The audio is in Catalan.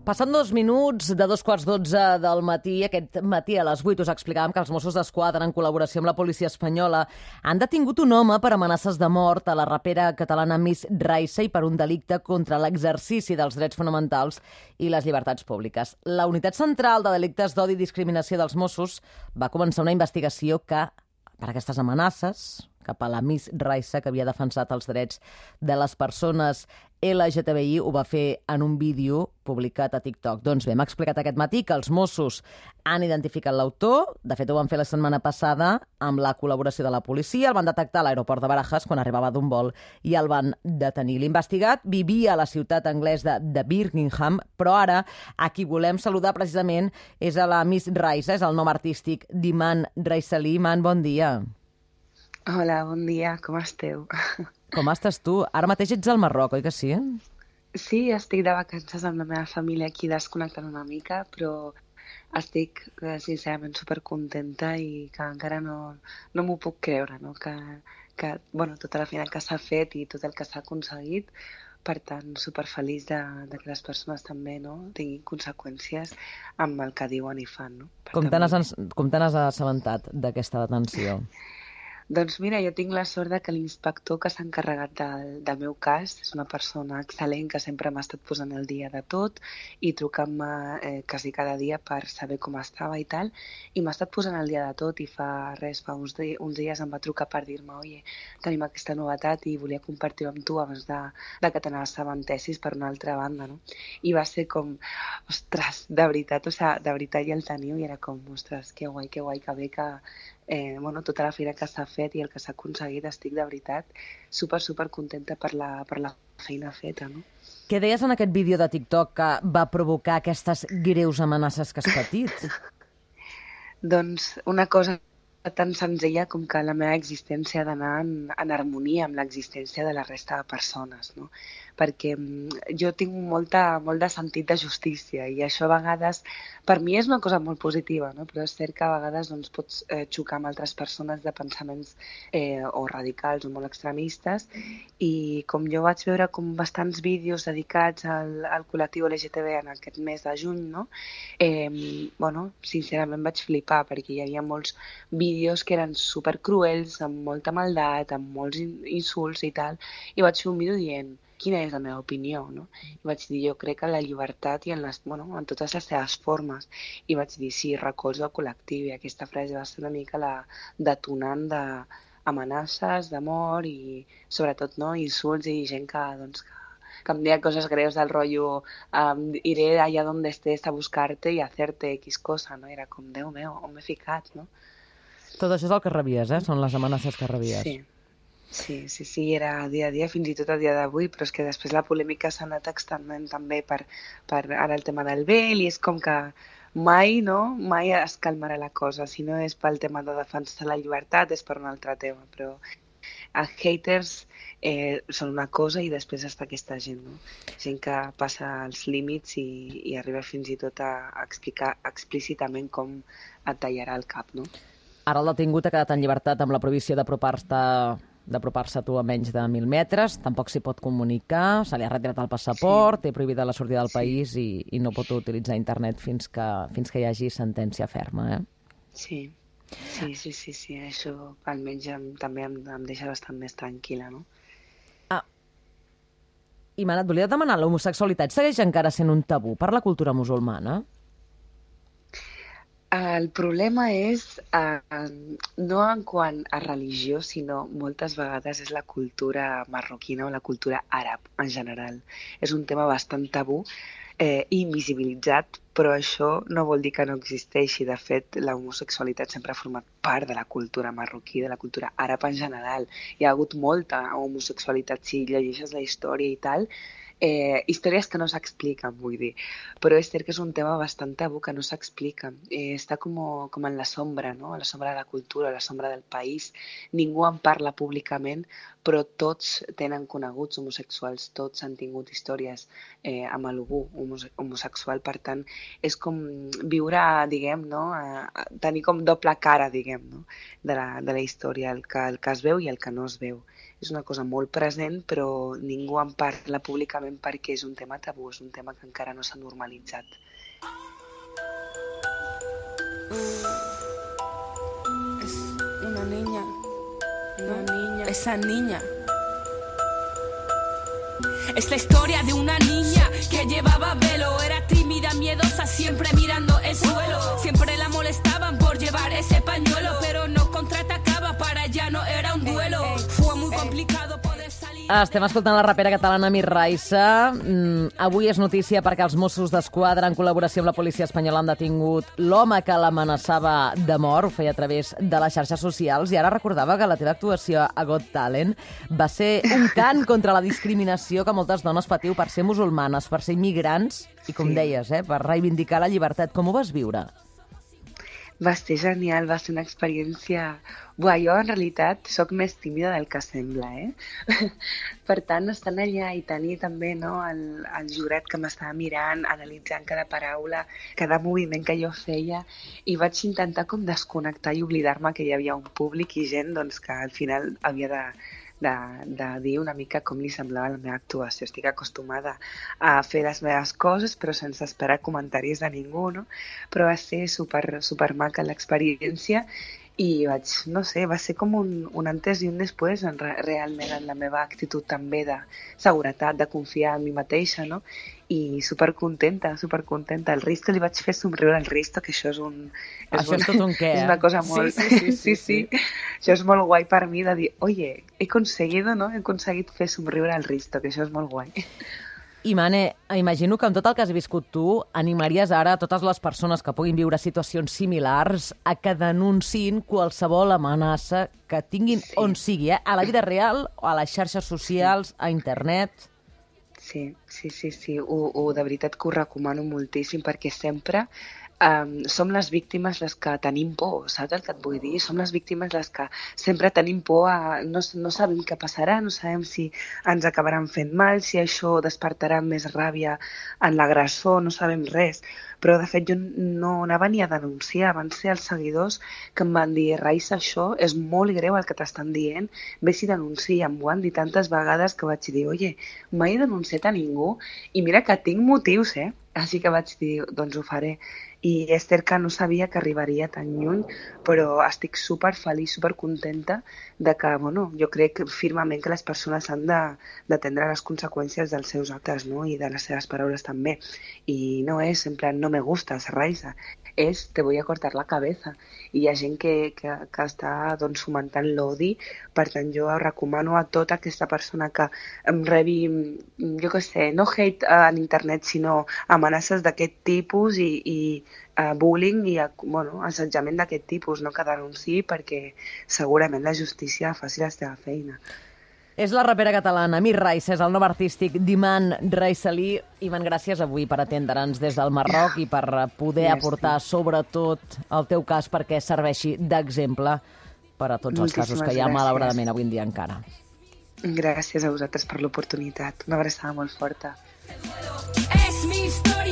Passant 2 minuts de 2:15 del matí, aquest matí a les 8 us explicàvem que els Mossos d'Esquadra, en col·laboració amb la policia espanyola, han detingut un home per amenaces de mort a la rapera catalana Miss Raisa i per un delicte contra l'exercici dels drets fonamentals i les llibertats públiques. La Unitat Central de Delictes d'Odi i Discriminació dels Mossos va començar una investigació que, per aquestes amenaces cap a la Miss Raisa, que havia defensat els drets de les persones LGTBI, ho va fer en un vídeo publicat a TikTok. Doncs bé, m'ha explicat aquest matí que els Mossos han identificat l'autor. De fet, ho van fer la setmana passada amb la col·laboració de la policia. El van detectar a l'aeroport de Barajas quan arribava d'un vol i el van detenir. L'investigat vivia a la ciutat anglesa de Birmingham, però ara a qui volem saludar precisament és a la Miss Raisa, és el nom artístic d'Iman Raisalí. Iman, bon dia. Hola, bon dia, com esteu? Com estàs tu? Ara mateix ets al Marroc, oi que sí? Sí, estic de vacances amb la meva família aquí desconnectant una mica, però estic sincerament supercontenta i que encara no m'ho puc creure, no? Que tota la feina que s'ha fet i tot el que s'ha aconseguit, per tant, superfeliç de que les persones també tinguin conseqüències amb el que diuen i fan. No? Com te n'has assabentat d'aquesta detenció? Doncs mira, jo tinc la sort de que l'inspector que s'ha encarregat del meu cas és una persona excel·lent que sempre m'ha estat posant el dia de tot i trucant-me quasi cada dia per saber com estava i tal, i m'ha estat posant el dia de tot i fa uns dies em va trucar per dir-me oye, tenim aquesta novetat i volia compartir-ho amb tu abans de que te n'assabentessis per una altra banda, no? I va ser com, ostres, de veritat, de veritat ja el teniu i era com, ostres, que guai que bé que tota la feina que s'ha fet i el que s'ha aconseguit, estic de veritat super contenta per la feina feta, no? Què deies en aquest vídeo de TikTok que va provocar aquestes greus amenaces que has patit? Doncs una cosa tan senzilla com que la meva existència ha d'anar en harmonia amb l'existència de la resta de persones, no? Perquè jo tinc molt de sentit de justícia i això a vegades, per mi és una cosa molt positiva, no? Però és cert que a vegades pots xocar amb altres persones de pensaments o radicals o molt extremistes, i com jo vaig veure com bastants vídeos dedicats al col·lectiu LGTB en aquest mes de juny, no? Sincerament vaig flipar perquè hi havia molts vídeos que eren supercruels, amb molta maldat, amb molts insults i tal, i vaig fer un vídeo dient quina és la meva opinió, no? I vaig dir, jo crec en la llibertat i en totes les seves formes. I vaig dir, sí, recolzo el col·lectiu, i aquesta frase va ser una mica la detonant d'amenaces, d'amor i sobretot insults i gent que em deia coses greus del rotllo iré allà on estés a buscar-te i hacerte X cosa, no? Era com, Déu meu, on m'he ficat, no? Tot això és el que rebies, Són les amenaces que rebies. Sí, era dia a dia, fins i tot a dia d'avui, però és que després la polèmica s'ha anat extendent també per ara el tema del vel, i és com que mai es calmarà la cosa. Si no és pel tema de defensar la llibertat, és per un altre tema, però els haters són una cosa i després està aquesta gent, no? Gent que passa els límits i arriba fins i tot a explicar explícitament com et tallarà el cap, no? Ara el detingut ha quedat en llibertat amb la prohibició d'apropar-se a tu a menys de 1.000 metres, tampoc s'hi pot comunicar, se li ha retirat el passaport, té prohibida la sortida del país i no pot utilitzar internet fins que hi hagi sentència ferma, Sí, això almenys també em deixa bastant més tranquil·la, no? Iman, et volia demanar, l'homosexualitat segueix encara sent un tabú per la cultura musulmana? El problema és no en quant a religió, sinó moltes vegades és la cultura marroquina o la cultura àrab en general. És un tema bastant tabú i invisibilitzat, però això no vol dir que no existeixi. De fet, la homosexualitat sempre ha format part de la cultura marroquí, de la cultura àrab en general. Hi ha hagut molta homosexualitat, si llegeixes la història i tal, històries que no s'expliquen, vull dir, però és cert que és un tema bastant tabú que no s'explica, està com en la sombra, no? A la sombra de la cultura, a la sombra del país, ningú en parla públicament, però tots tenen coneguts homosexuals, tots han tingut històries amb algú homosexual, per tant és com viure, diguem, no? Tenir com doble cara, diguem, no? De la història, el que es veu i el que no es veu. és una cosa molt present, però ningú en parla públicament perquè és un tema tabú, és un tema que encara no s'ha normalitzat. Es una niña, esa niña. Es la historia de una niña que llevaba velo, era tímida, miedosa, siempre mirando el suelo. Siempre la molestaban por llevar ese pañuelo, pero no contraatacaba, para ella no era un duelo. Fue muy complicado poder salir. Estem escoltant la rapera catalana Miss Raissa. Avui és notícia perquè els Mossos d'Esquadra, en col·laboració amb la policia espanyola, han detingut l'home que l'amenaçava de mort, ho feia a través de les xarxes socials, i ara recordava que la teva actuació a Got Talent va ser un cant contra la discriminació que moltes dones patiu per ser musulmanes, per ser immigrants, i com deies, per reivindicar la llibertat. Com ho vas viure? Va ser genial, va ser una experiència... Buah, jo en realitat sóc més tímida del que sembla, Per tant, estant allà i tenir també el jurat que m'estava mirant, analitzant cada paraula, cada moviment que jo feia, i vaig intentar com desconnectar i oblidar-me que hi havia un públic i gent que al final havia de dir una mica com li semblava la meva actuació. Estic acostumada a fer les meves coses, però sense esperar comentaris de ningú, no? Però va ser super maca l'experiència i va ser com un antes i un després realment en la meva actitud també de seguretat, de confiar en mi mateixa, no? I supercontenta. El Risto li vaig fer somriure al Risto, que això és és tot un què, és una cosa molt... Sí. Això és molt guai per mi, de dir, oye, he aconseguit fer somriure al Risto, que això és molt guai. I, Mane, imagino que amb tot el que has viscut tu, animaries ara a totes les persones que puguin viure situacions similars a que denunciïn qualsevol amenaça que tinguin on sigui, a la vida real, o a les xarxes socials, a internet... Sí. De veritat que ho recomano moltíssim perquè sempre som les víctimes les que tenim por, saps el que et vull dir? Som les víctimes les que sempre tenim por no sabem què passarà, no sabem si ens acabaran fent mal, si això despertarà més ràbia en l'agressor, no sabem res. Però, de fet, jo no anava ni a denunciar. Van ser els seguidors que em van dir, Raissa, això és molt greu el que t'estan dient, vés i denuncia. Em ho han dit tantes vegades que vaig dir, oye, mai he denunciat a ningú i mira que tinc motius, Així que vaig dir, doncs ho faré. I és cert que no sabia que arribaria tan lluny, però estic superfeliç, supercontenta de que, jo crec firmament que les persones han d'atendre les conseqüències dels seus actes, no? I de les seves paraules també. I no és, en plan, no me gustas, Raissa, és te voy a cortar la cabeza. I hi ha gent que està fomentant l'odi, per tant jo recomano a tota aquesta persona que em rebi, jo què sé, no hate en internet, sinó amenaces d'aquest tipus i bullying i assetjament d'aquest tipus, no, que denunciï perquè segurament la justícia faci la seva feina. És la rapera catalana Miss Raissa, és el nom artístic d'Iman Raissalí. Iman, gràcies avui per atendre'ns des del Marroc i per poder aportar sobretot el teu cas perquè serveixi d'exemple per a tots els casos que hi ha malauradament avui en dia encara. Gràcies a vosaltres per l'oportunitat. Una abraçada molt forta. Es mi historia.